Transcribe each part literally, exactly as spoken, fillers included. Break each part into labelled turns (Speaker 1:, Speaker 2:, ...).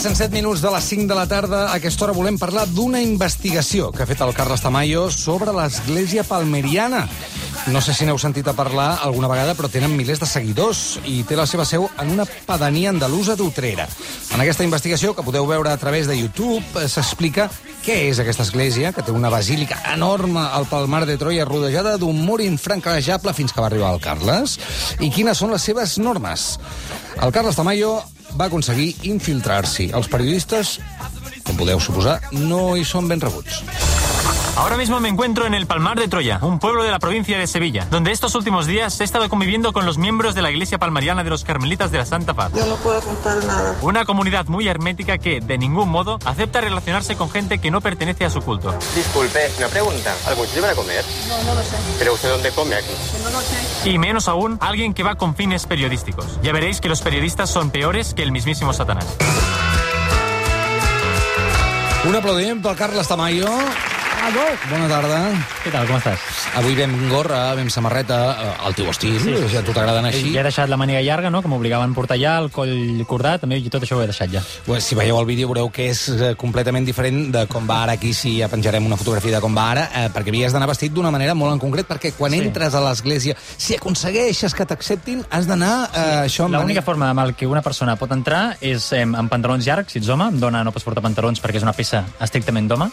Speaker 1: Passen set minuts de les cinc de la tarda. A aquesta hora volem parlar d'una investigació que ha fet el Carles Tamayo sobre l'església palmeriana. No sé si n'heu sentit a parlar alguna vegada, però tenen milers de seguidors i té la seva seu en una pedania andalusa d'Utrera. En aquesta investigació, que podeu veure a través de YouTube, s'explica què és aquesta església, que té una basílica enorme al Palmar de Troia, rodejada d'un mur infranquejable fins que va arribar el Carles, i quines són les seves normes. El Carles Tamayo va aconseguir infiltrar-s'hi. Els periodistes, com podeu suposar, no hi són ben rebuts.
Speaker 2: Ahora mismo me encuentro en el Palmar de Troya, un pueblo de la provincia de Sevilla, donde estos últimos días he estado conviviendo con los miembros de la Iglesia Palmariana de los Carmelitas de la Santa Paz.
Speaker 3: Yo no puedo contar nada.
Speaker 2: Una comunidad muy hermética que, de ningún modo, acepta relacionarse con gente que no pertenece a su culto.
Speaker 4: Disculpe, una pregunta. ¿Algún sitio para comer?
Speaker 3: No, no lo sé.
Speaker 4: ¿Pero usted dónde come aquí?
Speaker 3: No lo sé.
Speaker 2: Y menos aún, alguien que va con fines periodísticos. Ya veréis que los periodistas son peores que el mismísimo Satanás.
Speaker 1: Un aplaudiment pel Carles Tamayo. Bona tarda.
Speaker 5: Què tal, com estàs?
Speaker 1: Avui vam gorra, vam samarreta, al teu estil, sí, sí. A tu t'agraden així.
Speaker 5: Ja he deixat la màniga llarga, no?, que m'obligaven a portar ja, el coll cordat, també, i tot això ho he deixat ja.
Speaker 1: Pues, si veieu el vídeo veureu que és completament diferent de com va ara. Aquí sí ja penjarem una fotografia de com va ara, eh, perquè havies d'anar vestit d'una manera molt en concret, perquè quan sí. entres a l'església, si aconsegueixes que t'acceptin, has d'anar... Eh,
Speaker 5: sí. això L'única mani... forma amb què una persona pot entrar és eh, amb pantalons llargs, si ets home, amb dona no pots portar pantalons perquè és una peça estrictament d'home.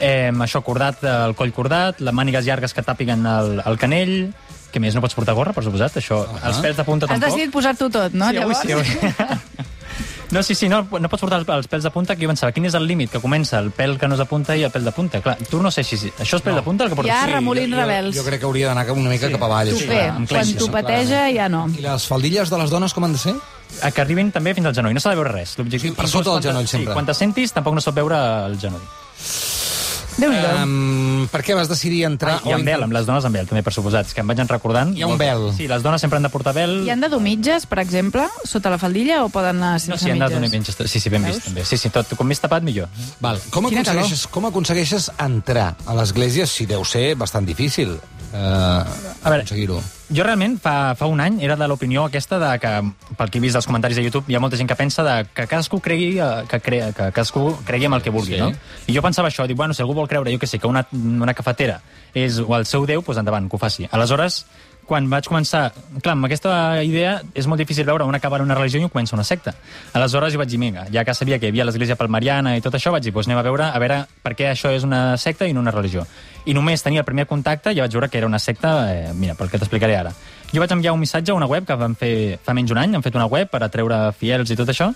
Speaker 5: Eh, això cordat, el coll cordat, les mànigues llargues que tàpiguen el, el canell, que més no pots portar gorra, per suposat, això, uh -huh. els pèls de punta tampoc.
Speaker 6: Has decidit posar-t'ho tot, no?
Speaker 5: Sí, avui sí, avui. No, sí, sí, no, no pots portar els pèls de punta, que jo pensava, quin és el límit, que comença el pèl que no és de punta i el pèl de punta. Clar, tu no sé si... Això és pèl no. de punta el que portes?
Speaker 6: Hi ha
Speaker 5: sí,
Speaker 6: remolins
Speaker 1: jo,
Speaker 6: rebels.
Speaker 1: Jo, jo crec que hauria d'anar una mica sí. cap avall.
Speaker 6: Tupé, sí, quan tupeteja ja no.
Speaker 1: I les faldilles de les dones com han de ser?
Speaker 5: Que arribin també fins al genoll, no s'ha de veure res. L'objectiu
Speaker 1: sí, per sota del genoll, sempre.
Speaker 5: Sí, quan te sentis tampoc no s'ha de veure el genoll.
Speaker 1: Um, per què vas decidir entrar...
Speaker 5: Ah, I amb vel, amb les dones amb vel, també, per suposat. És que em vaig recordant...
Speaker 1: Hi ha un vel.
Speaker 5: Sí, les dones sempre han de portar vel.
Speaker 6: Hi han de dur mitges, per exemple, sota la faldilla, o poden anar sense
Speaker 5: no, sí, han de dur
Speaker 6: mitges?
Speaker 5: Sí, sí, ben vist, també. Sí, sí, tot, com més tapat, millor.
Speaker 1: Val. Com aconsegueixes, com aconsegueixes entrar a l'església, si deu ser bastant difícil eh, a veure, aconseguir-ho?
Speaker 5: Jo realment, fa, fa un any, era de l'opinió aquesta de que, pel que he vist dels comentaris de YouTube, hi ha molta gent que pensa de que cadascú cregui, que, cre, que cadascú cregui en el que vulgui, sí. no? I jo pensava això, dic, bueno, si algú vol creure, jo què sé, que una, una cafetera és o el seu déu, doncs endavant, que ho faci. Aleshores, quan vaig començar... Clar, amb aquesta idea és molt difícil veure on acaba una religió i on comença una secta. Aleshores jo vaig dir, vinga, ja que sabia que hi havia l'església palmariana i tot això, vaig dir, doncs anem a veure, a veure per què això és una secta i no una religió. I només tenia el primer contacte i ja vaig veure que era una secta, eh, mira, pel que t'explicaré ara. Jo vaig enviar un missatge a una web que van fer fa menys un any, han fet una web per atreure fiels i tot això,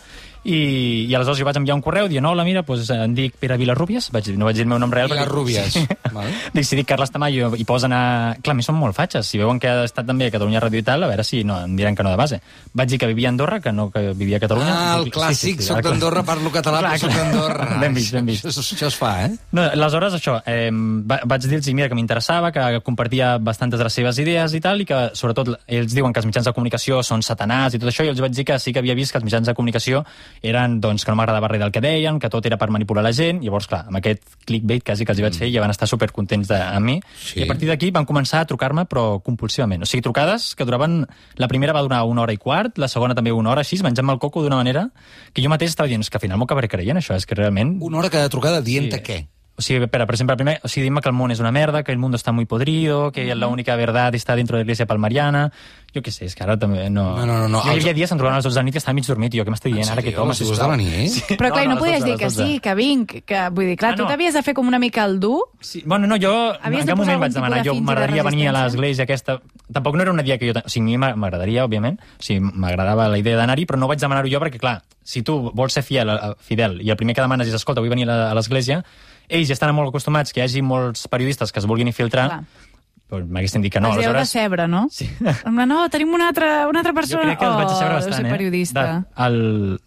Speaker 5: i, i aleshores jo vaig enviar un correu dient, hola, mira, doncs em dic Pere Vilarrubias, vaig dir, no vaig dir el meu nom real.
Speaker 1: Vilarrubias.
Speaker 5: Sí. Val. Dic, si dic Carles Tamayo i posen a... Clar, a mi són molt fatxes, si veuen que ha estat també a Catalunya Ràdio i tal, a veure si no, em diran que no de base. Vaig dir que vivia a Andorra, que no que vivia a Catalunya.
Speaker 1: Ah, el clàssic, sí, sí, sí, soc d'Andorra, parlo català, clar, però soc d'Andorra.
Speaker 5: Ben vist, ben vist.
Speaker 1: Això, això es fa, eh?
Speaker 5: No, aleshores, això, eh, vaig dir-los, mira, que m'interessava, que compartia bastantes de les seves idees i tal, i que, sobretot, ells diuen que els mitjans de comunicació són satanàs i tot això, i els vaig dir que sí que havia vist que els mitjans de comunicació eren, doncs, que no m'agradava res del que deien, que tot era per manipular la gent. Llavors, clar, amb aquest clickbait quasi que els hi vaig fer, ja van estar supercontents de, amb mi. Sí. I a partir d'aquí van començar a trucar-me, però compulsivament. O sigui, trucades que duraven... La primera va durar una hora i quart, la segona també una hora, així, menjant-me el coco d'una manera que jo mateix estava dient, és que al final m'ho acabaré creient, això, és que realment...
Speaker 1: Una hora cada trucada dient-te sí. què?
Speaker 5: O sigui, per, per exemple, primer, o sigui, dime que el món és una merda, que el mundo está muy podrido, que la única verdad está dentro de la iglesia palmariana... Jo què sé, és que ara també no...
Speaker 1: No, no, no. no.
Speaker 5: Jo hi havia dies em trobaven a les dotze de la nit que estava mig dormit, i jo què m'estic dient ara que toma,
Speaker 1: sisplau. A les dues de la nit?
Speaker 6: Sí. Però clar, no, no podies dir que sí, que vinc, que vull dir, clar, ah, no. tu t'havies de fer com una mica el dur.
Speaker 5: Sí. Bueno, no, jo en cap moment vaig demanar, jo m'agradaria venir a l'església aquesta... Tampoc no era una idea que jo... O sigui, a mi m'agradaria, òbviament, o sigui, m'agradava la idea d'anar-hi, però no vaig demanar-ho jo perquè, clar, si tu vols ser fidel, fidel i el primer que demanes és, escolta, vull venir a l'església, ells ja estan molt acostumats que hi hagi molts periodistes que es vulguin infiltrar, clar. Pues m'haguessin dit que no.
Speaker 6: Els heu
Speaker 5: aleshores...
Speaker 6: de cebre, no? Sí. No, tenim una altra, una altra persona...
Speaker 5: Jo crec que els vaig decebre
Speaker 6: oh,
Speaker 5: bastant, eh?
Speaker 6: periodista.
Speaker 5: De, el...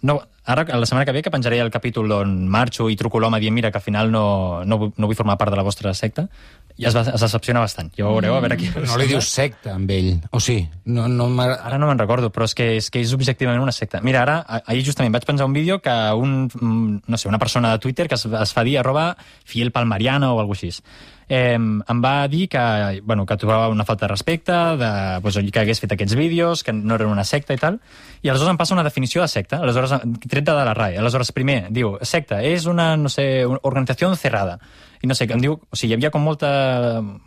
Speaker 5: no, ara, la setmana que ve, que penjaré el capítol on marxo i truco l'home dient, mira, que al final no, no, no vull formar part de la vostra secta, i es, es decepciona bastant. Ja ho veureu, a veure aquí...
Speaker 1: No li dius secta, amb ell. O sí? No, no
Speaker 5: ara no me'n recordo, però és que, és que és objectivament una secta. Mira, ara, ahir justament vaig penjar un vídeo que un, no sé, una persona de Twitter que es, es fa dir arroba fiel palmariana o alguna cosa així. Eh, em va dir que, bueno, que trobava una falta de respecte, de, pues, que hagués fet aquests vídeos, que no eren una secta i tal, i aleshores em passa una definició de secta. Aleshores, tret de la R A E. Aleshores, primer, diu, secta, és una, no sé, una organització cerrada. I no sé, em diu, o sigui, hi havia com molta,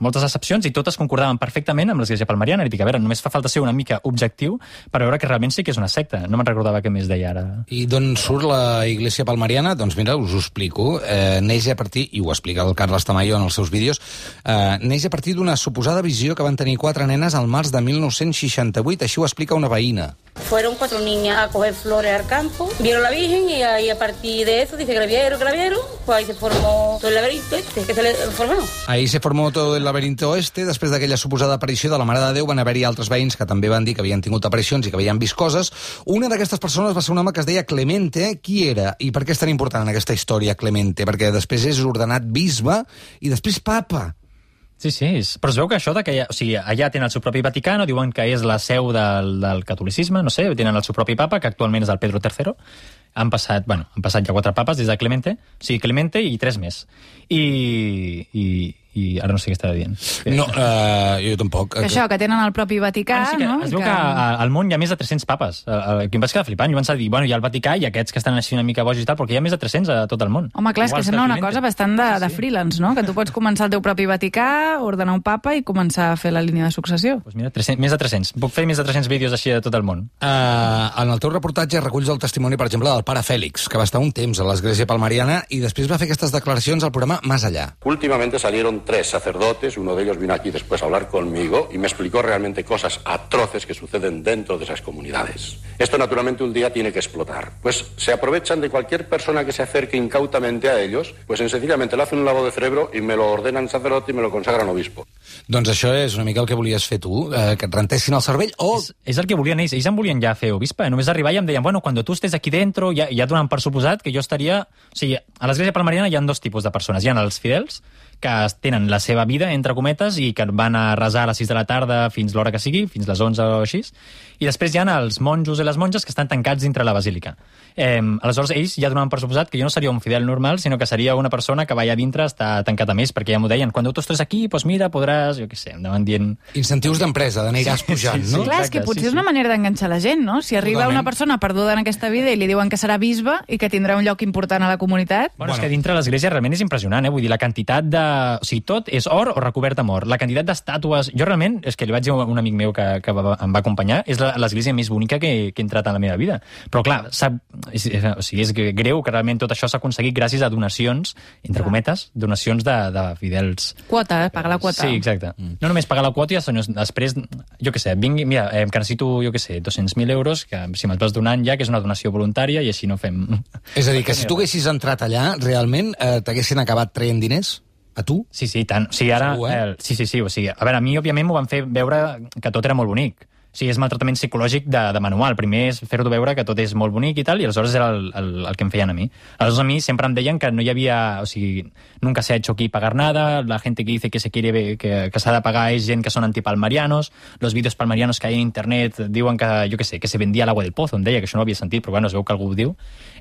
Speaker 5: moltes excepcions i totes concordaven perfectament amb l'Església Palmariana. I dic, a veure, només fa falta ser una mica objectiu per veure que realment sí que és una secta. No me'n recordava què més deia ara.
Speaker 1: I d'on surt la Iglesia Palmariana? Doncs mira, us ho explico. Eh, neix a partir, i ho explica el Carles Tamayo en els seus vídeos, eh, neix a partir d'una suposada visió que van tenir quatre nenes al març de mil nou-cents seixanta-vuit. Així ho explica una veïna.
Speaker 3: Fueron cuatro niñas a coger flores al campo, vieron la Virgen y ahí a partir de eso, dice que la vieron, que la vieron, pues ahí se formó todo el laberinto este, que se le formó.
Speaker 1: Ahí se formó todo el laberinto este. Després d'aquella suposada aparició de la Mare de Déu van haver-hi altres veïns que també van dir que havien tingut aparicions i que havien vist coses. Una d'aquestes persones va ser un home que es deia Clemente. Qui era? I per què és tan important en aquesta història Clemente? Perquè després és ordenat bisbe i després papa.
Speaker 5: Sí, sí, però es veu que això de que ja, o sigui, allà tenen el seu propi Vaticano, diuen que és la seu del, del catolicisme, no sé, tenen el seu propi papa, que actualment és el Pedro tercero. Han passat, bueno, han passat ja quatre papes des de Clemente, o sigui, Clemente i tres més. I, i, i ara no sé què estava dient.
Speaker 1: No, uh, jo tampoc.
Speaker 6: Que això, que tenen el propi Vaticà,
Speaker 5: bueno, sí que
Speaker 6: no?
Speaker 5: Es veu que, que al món hi ha més de tres-cents papes. Aquí em vaig quedar flipant. Jo vaig dir, bueno, hi ha el Vaticà i aquests que estan així una mica bojos i tal, perquè hi ha més de tres-cents a tot el món.
Speaker 6: Home, clar, és que sembla una cosa bastant de, de
Speaker 5: sí.
Speaker 6: freelance, no? Que tu pots començar el teu propi Vaticà, ordenar un papa i començar a fer la línia de successió.
Speaker 5: Pues mira, tres-cents, més de tres-cents. Puc fer més de tres-cents vídeos així de tot el món.
Speaker 1: Uh, en el teu reportatge reculls el testimoni, per exemple, del pare Fèlix, que va estar un temps a l'Església Palmariana i després va fer aquestes declaracions al programa Más Allá.
Speaker 7: Últimamente salieron tres sacerdotes, uno de ellos vino aquí después a hablar conmigo y me explicó realmente cosas atroces que suceden dentro de esas comunidades. Esto naturalmente un día tiene que explotar. Pues se aprovechan de cualquier persona que se acerque incautamente a ellos, pues sencillamente le hacen un lavado de cerebro y me lo ordenan sacerdote y me lo consagran obispo.
Speaker 1: Doncs això és una mica el que volies fer tu, eh, que et rentessin el cervell o...
Speaker 5: És, és el que volien ells. Ells em volien ja fer obispe. Només arribar i em deien, bueno, quan tu estés aquí dentro, ja, ja donen per suposat que jo estaria... O sigui, a l'Església Palmariana hi ha dos tipus de persones. Hi ha els fidels, que tenen la seva vida, entre cometes, i que van a resar a les sis de la tarda fins l'hora que sigui, fins les onze o així. I després hi ha els monjos i les monges que estan tancats dintre la basílica. Eh, aleshores, ells ja donaven per suposat que jo no seria un fidel normal, sinó que seria una persona que va allà dintre estar tancat a més, perquè ja m'ho deien, quan tu estés aquí, doncs mira, podràs, jo què sé, em anaven dient...
Speaker 1: Incentius d'empresa, d'aniràs pujant,
Speaker 5: Sí, sí,
Speaker 1: no?
Speaker 5: sí.
Speaker 6: Clar, és que
Speaker 5: Exacte,
Speaker 6: potser
Speaker 5: sí,
Speaker 6: és una
Speaker 5: sí.
Speaker 6: manera d'enganxar la gent, no? Si arriba
Speaker 1: Totalment.
Speaker 6: una persona perduda en aquesta vida i li diuen que serà bisbe i que tindrà un lloc important a la comunitat...
Speaker 5: Bueno, bueno, és que dintre l'església realment és impressionant, eh? Vull dir, la quantitat de... O sigui, tot és or o recobert amb or. La quantitat d'estàtues... Jo realment, és que li vaig dir a un amic meu que, que va, em va acompanyar, és la- l'església més bonica que, que he entrat en la meva vida. Però clar, sap... És, és, o sigui, és greu que realment tot això s'ha aconseguit gràcies a donacions, entre
Speaker 6: Clar.
Speaker 5: cometes, donacions de, de fidels.
Speaker 6: Quota, eh? Pagar la quota.
Speaker 5: Sí, exacte. Mm. No només pagar la quota, sinó després, jo què sé, vingui, mira, eh, que necessito, jo què sé, dos-cents mil euros, que si me'ls vas donant ja, que és una donació voluntària, i així no fem...
Speaker 1: És a dir, que si tu haguessis entrat allà, realment eh, t'haguessin acabat traient diners? A tu?
Speaker 5: Sí, sí, tant. O sigui, ara...
Speaker 1: Segur, eh?
Speaker 5: eh? Sí, sí, sí. O sigui, a veure, a mi, òbviament, m'ho van fer veure que tot era molt bonic. O sigui, és maltractament psicològic de, de manual. Primer és fer-ho veure que tot és molt bonic i tal, i aleshores era el, el, el que em feien a mi. Aleshores a mi sempre em deien que no hi havia... O sigui, nunca se ha hecho aquí pagar nada, la gente que dice que se quiere ver, que, que s'ha de pagar és gent que són antipalmarianos, los vídeos palmarianos que hay en internet diuen que, jo què sé, que se vendía el agua del pozo, em deia, que això no ho havia sentit, però bueno, es veu que algú ho diu.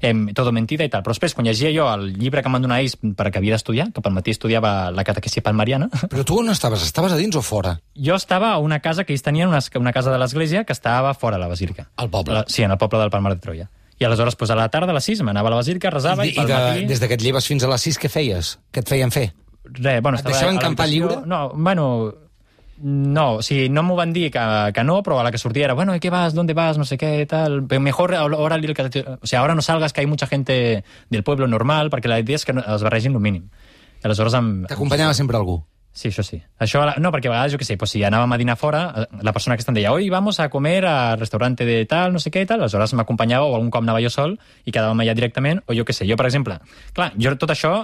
Speaker 5: Eh, todo mentida i tal. Però després, quan llegia jo el llibre que em van donar ells perquè havia d'estudiar, que pel matí estudiava la catequesi palmariana...
Speaker 1: Però tu on estaves? Estaves a dins o fora?
Speaker 5: Jo estava a una casa que ells tenien, una, una casa de l'església que estava fora de la basílica.
Speaker 1: Al poble?
Speaker 5: La, sí, en el poble del Palmar de Troia. I aleshores, pues, a la tarda, a les sis, m'anava a la basílica, resava i,
Speaker 1: I,
Speaker 5: pel
Speaker 1: de,
Speaker 5: matí...
Speaker 1: des que et lleves fins a les sis, què feies? Què et feien fer?
Speaker 5: Re, bueno,
Speaker 1: Et
Speaker 5: estava
Speaker 1: deixaven
Speaker 5: a
Speaker 1: campar
Speaker 5: l'habitació.
Speaker 1: lliure?
Speaker 5: No, bueno... No, o sigui, no m'ho van dir que, que no, però a la que sortia era, bueno, ¿y qué vas? ¿Dónde vas? No sé qué, tal. Pero mejor ahora, o sea, ahora no salgas, que hay mucha gente del pueblo normal, perquè la idea és que no, es barregin el mínim. I aleshores em...
Speaker 1: T'acompanyava sempre algú?
Speaker 5: Sí, això sí. Això, no, perquè a vegades, jo què sé, pues, si anàvem a dinar fora, la persona que està em deia, hoy vamos a comer al restaurante de tal, no sé què i tal, aleshores m'acompanyava, o algun cop anava jo sol i quedàvem allà directament, o jo què sé, jo, per exemple, clar, jo tot això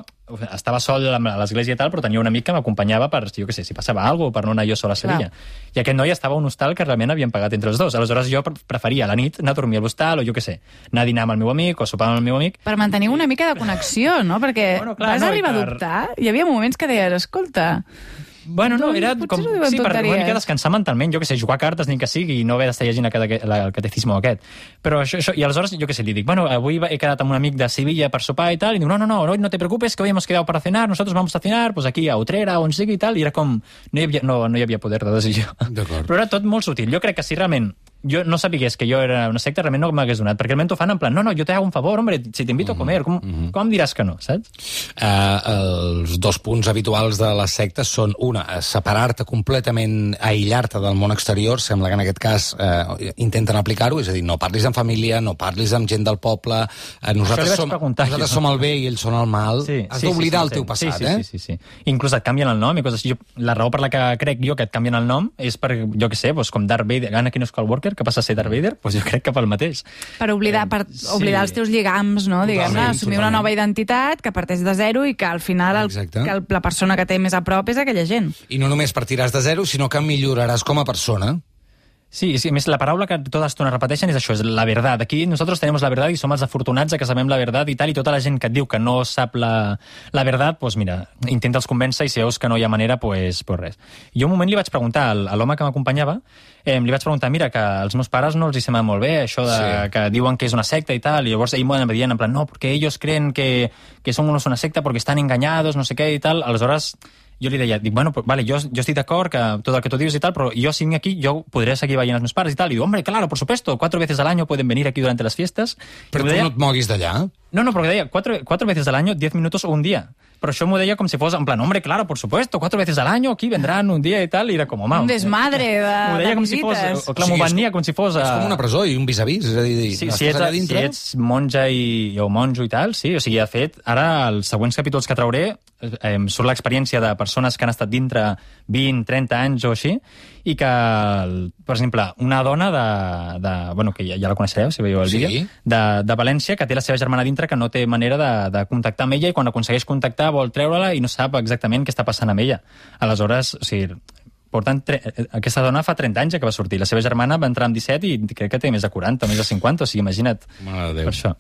Speaker 5: estava sol a l'església i tal, però tenia un amic que m'acompanyava per, jo què sé, si passava alguna cosa, per no anar jo sol a Sevilla. Clar. I aquest noi estava a un hostal que realment havien pagat entre els dos. Aleshores jo preferia a la nit anar a dormir a l'hostal, o jo què sé, anar a dinar amb el meu amic, o sopar amb el meu amic.
Speaker 6: Per mantenir una mica de connexió, no? Perquè
Speaker 5: Bueno, clar,
Speaker 6: vas
Speaker 5: no, i
Speaker 6: arribar
Speaker 5: per-
Speaker 6: a dubtar. Hi havia moments que deies, escolta...
Speaker 5: Bueno, no,
Speaker 6: Doncs
Speaker 5: era
Speaker 6: potser
Speaker 5: com...
Speaker 6: s'ho diuen
Speaker 5: Sí, per una
Speaker 6: tonteries.
Speaker 5: mica descansar mentalment, jo què sé, jugar a cartes ni que sigui i no haver d'estar llegint el cate- la- el catecismo aquest. Però això, això... I aleshores, jo què sé, li dic, bueno, avui he quedat amb un amic de Sevilla per sopar i tal, i diu, no, no, no, hoy no te preocupes, que hoy hemos quedado para cenar, nosotros vamos a cenar, pues aquí a Utrera, on sigui i tal, i era com... No hi havia, no, no hi havia poder de decisió.
Speaker 1: D'acord.
Speaker 5: Però era tot molt sutil. Jo crec que si realment jo no sapigués que jo era una secta, realment no m'hagués donat, perquè realment t'ho fan en plan, no, no, jo te hago un favor, hombre, si t'invito a comer, com, mm-hmm. com em diràs que no, saps?
Speaker 1: Uh, els dos punts habituals de les sectes són, una, separar-te completament, aïllar-te del món exterior, sembla que en aquest cas uh, intenten aplicar-ho, és a dir, no parlis amb família, no parlis amb gent del poble, uh, nosaltres, som, nosaltres som el bé i ells són el mal, sí, has sí, d'oblidar sí, sí, el teu passat,
Speaker 5: sí, sí,
Speaker 1: eh?
Speaker 5: Sí, sí, sí. Inclús et canvien el nom i coses així. Jo, la raó per la que crec jo que et canvien el nom és per, jo què sé, doncs, com Darth Vader, Anakin Skywalker, que passa a ser Darth Vader, doncs jo crec que pel mateix.
Speaker 6: Per oblidar, per
Speaker 5: sí.
Speaker 6: oblidar els teus lligams, no? Diguem-ne, assumir una nova identitat que parteix de zero i que al final el, que el, la persona que té més a prop és aquella gent.
Speaker 1: I no només partiràs de zero, sinó que milloraràs com a persona.
Speaker 5: Sí, sí, a més, la paraula que tota estona repeteixen és això, és la verdad. Aquí nosaltres tenim la verdad i som els afortunats que sabem la verdad i tal, i tota la gent que et diu que no sap la, la verdad, doncs mira, intenta'ls convèncer i si veus que no hi ha manera, doncs pues res. Jo un moment li vaig preguntar al, a l'home que m'acompanyava, eh, li vaig preguntar, mira, que als meus pares no els hi sembla molt bé, això de, sí. que diuen que és una secta i tal, i llavors ell m'ho dient en plan, no, perquè ells creen que, que som una secta perquè estan engañados, no sé què i tal, aleshores jo li deia, dic, bueno, pues, vale, jo, jo estic d'acord que tot el que tu dius i tal, però jo si vinc aquí, jo podré seguir veient els meus pares i tal, i diu, hombre, claro, por supuesto, cuatro veces al año pueden venir aquí durante las fiestas.
Speaker 1: Però tu deia, no et moguis d'allà?
Speaker 5: No, no, perquè deia, cuatro, cuatro veces al año, diez minutos o un dia. Però això m'ho deia com si fos, en plan, hombre, claro, por supuesto, cuatro veces al año, aquí vendran un dia i tal, i era com, home...
Speaker 6: Un desmadre de,
Speaker 5: m'ho deia
Speaker 6: de
Speaker 5: com
Speaker 6: visites.
Speaker 5: si fos, o clar, m'ho venia com si fos...
Speaker 1: És com una presó i un vis-a-vis, és a dir,
Speaker 5: sí, si, ets, si ets monja i, o monjo i tal, sí, o sigui, de fet, ara els següents capítols que trauré eh, surt l'experiència de persones que han estat dintre vint, trenta anys o així, i que, per exemple, una dona de... de bueno, que ja, ja la coneixereu, si veieu el
Speaker 1: sí.
Speaker 5: vídeo, de, de València, que té la seva germana dintre, que no té manera de, de contactar amb ella, i quan aconsegueix contactar vol treure-la i no sap exactament què està passant amb ella. Aleshores, o sigui, portant tre... aquesta dona fa trenta anys que va sortir, la seva germana va entrar amb disset i crec que té més de quaranta, més de cinquanta, o sigui, imagina't.
Speaker 1: Mare de Déu.
Speaker 5: Per això.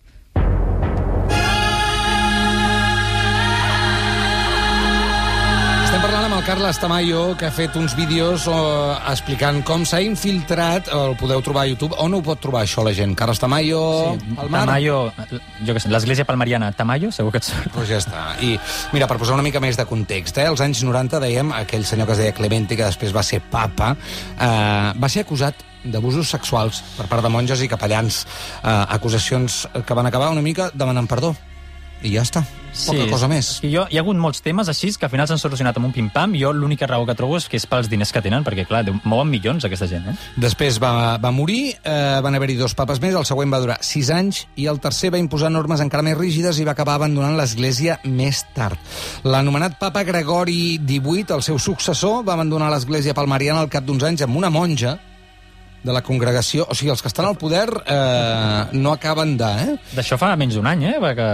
Speaker 1: Estem parlant amb el Carles Tamayo, que ha fet uns vídeos oh, explicant com s'ha infiltrat, el podeu trobar a YouTube. On ho pot trobar això la gent? Carles Tamayo,
Speaker 5: sí,
Speaker 1: Palmar?
Speaker 5: Tamayo, jo què sé, l'església palmariana Tamayo, segur que et surt.
Speaker 1: Pues ja està. I mira, per posar una mica més de context, eh, als anys noranta dèiem, aquell senyor que es deia Clemente, que després va ser papa, eh, va ser acusat d'abusos sexuals per part de monges i capellans. Eh, acusacions que van acabar una mica demanant perdó. I ja està. Poca
Speaker 5: sí,
Speaker 1: cosa més.
Speaker 5: I jo, hi ha hagut molts temes així que al final s'han solucionat amb un pim-pam. Jo l'única raó que trobo és que és pels diners que tenen, perquè, clar, mouen milions aquesta gent, eh?
Speaker 1: Després va, va morir, eh, van haver-hi dos papes més, el següent va durar sis anys, i el tercer va imposar normes encara més rígides i va acabar abandonant l'Església més tard. L'anomenat papa Gregori divuit, el seu successor, va abandonar l'Església palmariana al cap d'uns anys amb una monja de la congregació. O sigui, els que estan al poder eh, no acaben de... Eh?
Speaker 5: D'això fa menys d'un any, eh? Perquè...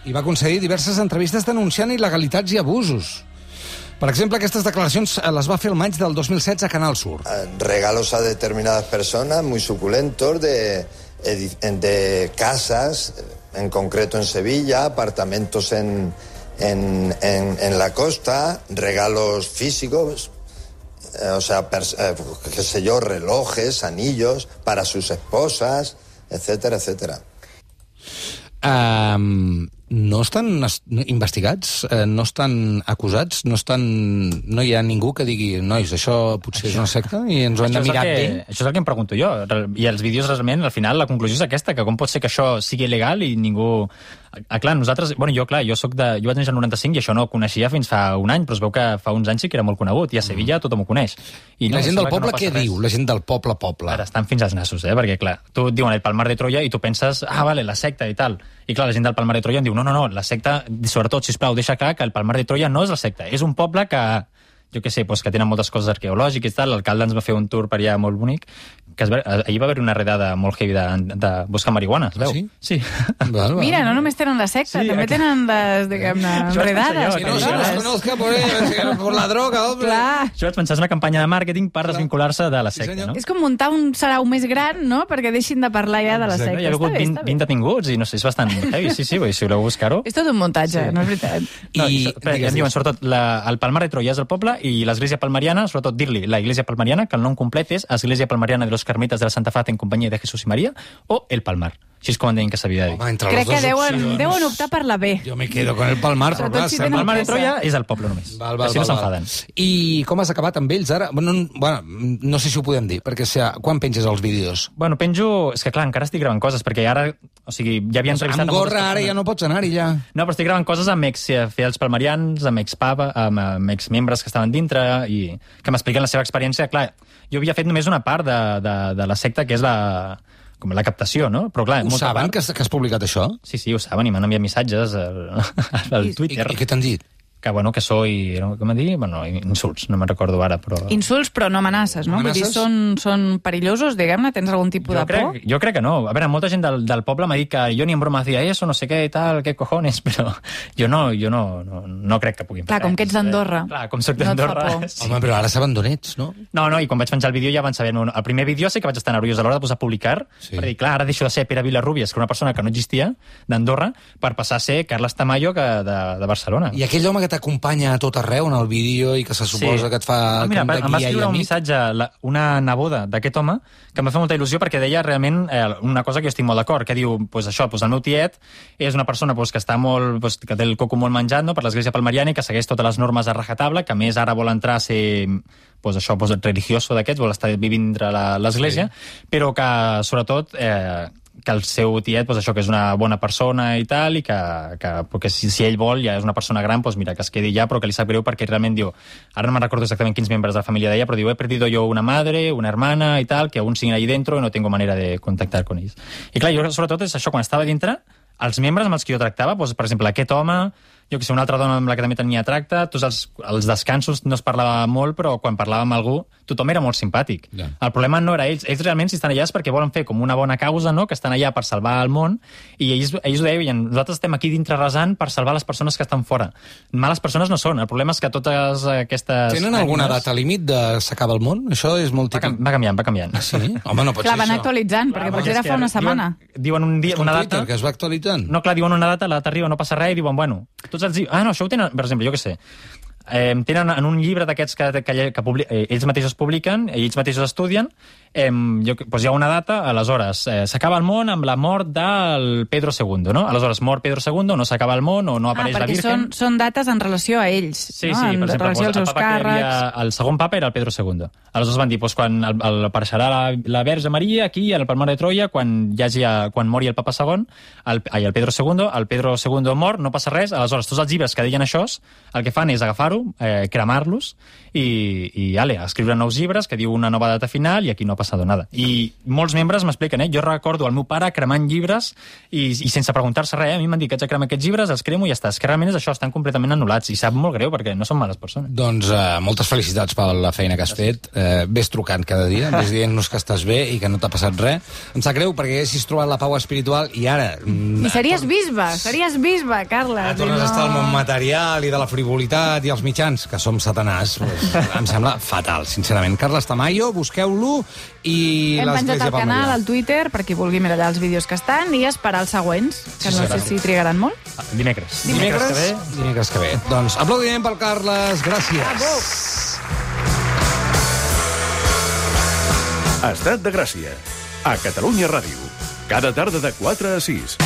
Speaker 1: I va concedir diverses entrevistes denunciant il·legalitats i abusos. Per exemple, aquestes declaracions les va fer el maig del dos mil setze a Canal Sur.
Speaker 8: Regalos a determinadas personas muy suculentos de, de casas, en concreto en Sevilla, apartamentos en, en, en, en la costa, regalos físicos, eh, o sea, pers eh, qué sé yo, relojes, anillos para sus esposas, etcétera, etcétera.
Speaker 1: Um, no estan investigats, uh, no estan acusats, no estan, no hi ha ningú que digui, nois, això potser això, és una secta i ens ho hem de mirar
Speaker 5: que,
Speaker 1: bé.
Speaker 5: Això és el que em pregunto jo. I els vídeos, realment, al final, la conclusió és aquesta, que com pot ser que això sigui il·legal i ningú... Ah, clar, nosaltres... Bueno, jo, clar, jo soc de... Jo vaig néixer al noranta-cinc i això no ho coneixia fins fa un any, però es veu que fa uns anys sí que era molt conegut, i a Sevilla tothom ho coneix.
Speaker 1: I no, la gent del poble no què res. Diu? La gent del poble, poble.
Speaker 5: Ara estan fins als nassos, eh? Perquè, clar, tu et diuen el Palmar de Troya i tu penses, ah, vale, la secta i tal. I, clar, la gent del Palmar de Troya em diu, no, no, no, la secta, sobretot, sisplau, deixa clar que el Palmar de Troya no és la secta, és un poble que, jo què sé, doncs que tenen moltes coses arqueològiques i tal. L'alcalde ens va fer un tour per allà molt bonic, que es va, ahir va haver una redada molt heavy de, de buscar marihuana, es veu?
Speaker 1: Ah, sí?
Speaker 5: Sí.
Speaker 1: Val, val.
Speaker 6: Mira, no només tenen la secta, sí, també aquí tenen les, diguem-ne, redades.
Speaker 1: Que no se nos conozca por, por la droga, hombre.
Speaker 6: Clar.
Speaker 5: Això vaig pensar, és una campanya de màrqueting per desvincular-se de la secta,
Speaker 1: sí,
Speaker 5: no?
Speaker 6: És com muntar un sarau més gran, no?, perquè deixin de parlar ja de la secta.
Speaker 5: Hi ha hagut vint, vint detinguts i no sé, és bastant heavy, sí, sí, si voleu buscar-ho.
Speaker 6: És tot un muntatge, sí. No és veritat.
Speaker 5: No,
Speaker 1: I,
Speaker 5: I em diuen, sobretot, la, el Palmar de Troya és el poble i l'església palmariana, sobretot dir-li la iglesia palmariana, que el nom complet és Església Palmariana de los Carmelitas de la Santa Faz en compañía de Jesús y María, o el Palmar. Així és com deien que s'havia de dir.
Speaker 1: Home, entre
Speaker 6: Crec
Speaker 1: les dues
Speaker 6: que deuen,
Speaker 1: opcions,
Speaker 6: deuen optar per la B.
Speaker 1: Jo me quedo con el Palmar, però clar,
Speaker 6: si
Speaker 1: sembla-
Speaker 6: tenen
Speaker 5: El Palmar de
Speaker 6: pressa.
Speaker 5: Troia és el poble només.
Speaker 1: Val, val,
Speaker 5: Així no
Speaker 1: val,
Speaker 5: s'enfaden.
Speaker 1: val. I com has acabat amb ells ara? Bueno, no- bueno, no sé si ho podem dir, perquè si, quan penges els vídeos?
Speaker 5: Bueno, penjo... És que clar, encara estic gravant coses, perquè ara... O sigui, ja havia entrevistat...
Speaker 1: Amb
Speaker 5: a moltes
Speaker 1: gorra ara
Speaker 5: persones.
Speaker 1: ja no pots anar-hi, ja.
Speaker 5: No, però estic gravant coses amb ex-fidels palmarians, amb ex-papa, amb, amb ex-membres que estaven dintre i que m'expliquen la seva experiència. Clar, jo havia fet només una part de, de, de la secta, que és la, com la captació, no? Però clar,
Speaker 1: Ho
Speaker 5: molta
Speaker 1: saben,
Speaker 5: part-
Speaker 1: que has, que has publicat això?
Speaker 5: Sí, sí, ho saben, i m'han enviat missatges al, al
Speaker 1: I,
Speaker 5: Twitter.
Speaker 1: I què t'han dit?
Speaker 5: Que, bueno, que soy... no, Com m'han dit? Bueno, insults, no me'n recordo ara, però...
Speaker 6: Insults, però no amenaces, no? Vull dir,
Speaker 1: Amenaces?
Speaker 6: són, són perillosos, diguem-ne? Tens algun tipus
Speaker 5: Jo
Speaker 6: de por?
Speaker 5: crec, jo crec que no. A veure, molta gent del, del poble m'ha dit que jo ni en broma hacía eso, no sé què i tal, què cojones, però jo no, jo no, no, no crec que puguin fer
Speaker 6: Clar, com que ets d'Andorra.
Speaker 5: Clar, com soc
Speaker 6: No et fa
Speaker 5: d'Andorra.
Speaker 6: por.
Speaker 5: sí.
Speaker 1: Home, però ara saben d'on ets, no?
Speaker 5: No, no, i quan vaig penjar el vídeo ja van saber... No, el primer vídeo sí que vaig estar nerviós a l'hora de posar a publicar,
Speaker 1: Sí.
Speaker 5: perquè, clar, ara deixo de ser Pere Vilarrubias, que era una persona que no existia, d'Andorra, per passar a ser Carles Tamayo, que de, de Barcelona.
Speaker 1: I aquell home que t'acompanya a tot arreu en el vídeo i que se suposa
Speaker 5: Sí.
Speaker 1: que et fa...
Speaker 5: Ah, mira,
Speaker 1: com de
Speaker 5: em va
Speaker 1: guia i
Speaker 5: escriure un
Speaker 1: amic.
Speaker 5: missatge la, una neboda d'aquest home que em va fer molta il·lusió perquè deia realment eh, una cosa que jo estic molt d'acord, que diu, pues això, pues el meu tiet és una persona pues, que està molt, pues, que té el coco molt menjat, no?, per l'església palmariana i que segueix totes les normes a rajatabla, que a més ara vol entrar a ser pues, això, pues, religioso d'aquests, vol estar vivint dintre la- l'església, sí. però que sobretot eh, que el seu tiet, pues, això, que és una bona persona i tal, i que, que perquè si, si ell vol, ja és una persona gran, pues, mira, que es quedi ja, però que li sap greu perquè realment diu, ara no me'n recordo exactament quins membres de la família deia, però diu, he perdido yo una madre, una hermana y tal, que aún siguen ahí dentro y no tengo manera de contactar con ells. I clar, jo sobretot és això, quan estava dintre, els membres amb els que jo tractava, doncs, per exemple, aquest home, jo que sé, una altra dona amb la que també tenia tracte, tots els, els descansos no es parlava molt, però quan parlava amb algú, tothom era molt simpàtic.
Speaker 1: Ja.
Speaker 5: El problema no era ells. Ells realment, si estan allà, és perquè volen fer com una bona causa, no?, que estan allà per salvar el món, i ells, ells ho deien, nosaltres estem aquí dintre resant per salvar les persones que estan fora. Males persones no són. El problema és que totes aquestes...
Speaker 1: Tenen alguna
Speaker 5: ànimes-
Speaker 1: data límit de s'acaba el món? Això és molt
Speaker 5: Va,
Speaker 1: típic.
Speaker 5: cam- va canviant, va canviant.
Speaker 1: Sí? Home, no pot
Speaker 6: Clar,
Speaker 1: ser
Speaker 6: van
Speaker 1: això.
Speaker 6: actualitzant, perquè potser era fa una setmana.
Speaker 5: Diuen, diuen un dia,
Speaker 1: És com
Speaker 5: una
Speaker 1: Twitter,
Speaker 5: data...
Speaker 1: que es va actualitzant.
Speaker 5: No, clar, diuen una data, la data arriba, no passa res, i diuen, bueno, tots els... Ah, no, això ho tenen, per exemple, jo què sé, eh, tenen en un llibre d'aquests que, que, que publi, eh, ells mateixos publiquen, ells mateixos estudien, eh, jo, doncs hi ha una data, aleshores, eh, s'acaba el món amb la mort del Pedro segundo, no? Aleshores, mort Pedro segundo, no s'acaba el món, o no
Speaker 6: Ah,
Speaker 5: apareix la
Speaker 6: perquè
Speaker 5: Virgen...
Speaker 6: són, són dates en relació a ells,
Speaker 5: Sí,
Speaker 6: no?
Speaker 5: sí,
Speaker 6: en
Speaker 5: per exemple,
Speaker 6: relació
Speaker 5: doncs,
Speaker 6: als
Speaker 5: el
Speaker 6: seus
Speaker 5: papa que hi
Speaker 6: càrrecs.
Speaker 5: havia, el segon papa era el Pedro segundo. Aleshores van dir, doncs, quan el, el, apareixerà la, la Verge Maria aquí, al Palmar de Troia, quan hi hagi, quan mori el papa segon, el, ai, el Pedro segundo, el Pedro segundo mor, no passa res, aleshores tots els llibres que deien això, el que fan és agafar-ho, eh, cremar-los, i, i ale, escriure nous llibres que diu una nova data final i aquí no ha passat nada. I molts membres m'expliquen, eh? Jo recordo el meu pare cremant llibres i, i sense preguntar-se res, eh? A mi m'han dit que haig de cremar aquests llibres, els cremo i ja està. És que realment és això, estan completament anul·lats i sap molt greu perquè no són males persones.
Speaker 1: Doncs uh, moltes felicitats per la feina que has fet. Uh, ves trucant cada dia, ves dient-nos que estàs bé i que no t'ha passat res. Em sap greu perquè haguessis trobat la pau espiritual i ara... Mm,
Speaker 6: I series bisbe, series bisbe, Carles.
Speaker 1: Ara tornes
Speaker 6: i
Speaker 1: a estar al món material i de la frivolitat i els mitjans, que som satanàs. Pues, em sembla fatal, sincerament. Carles Tamayo, busqueu-lo i
Speaker 6: Hem penjat
Speaker 1: l'Església
Speaker 6: al canal,
Speaker 1: Palmariana.
Speaker 6: al Twitter, per qui vulgui mirar allà els vídeos que estan i esperar els següents, que
Speaker 1: Sí,
Speaker 6: no
Speaker 1: sí,
Speaker 6: sé
Speaker 1: sí.
Speaker 6: si trigaran molt.
Speaker 5: Ah, dimecres.
Speaker 1: Dimecres,
Speaker 5: que ve.
Speaker 1: dimecres que ve. Doncs aplaudiment pel Carles, gràcies.
Speaker 9: Estat de Gràcia, a Catalunya Ràdio. Cada tarda de quatre a sis.